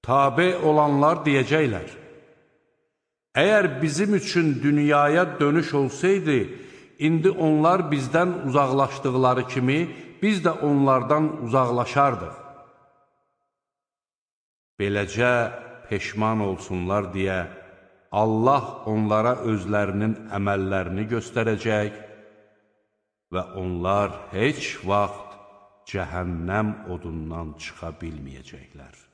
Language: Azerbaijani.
Tabe olanlar deyəcəklər: əgər bizim üçün dünyaya dönüş olsaydı, indi onlar bizdən uzaqlaşdıqları kimi, biz də onlardan uzaqlaşardıq. Beləcə peşman olsunlar deyə Allah onlara özlərinin əməllərini göstərəcək və onlar heç vaxt cəhənnəm odundan çıxa bilməyəcəklər.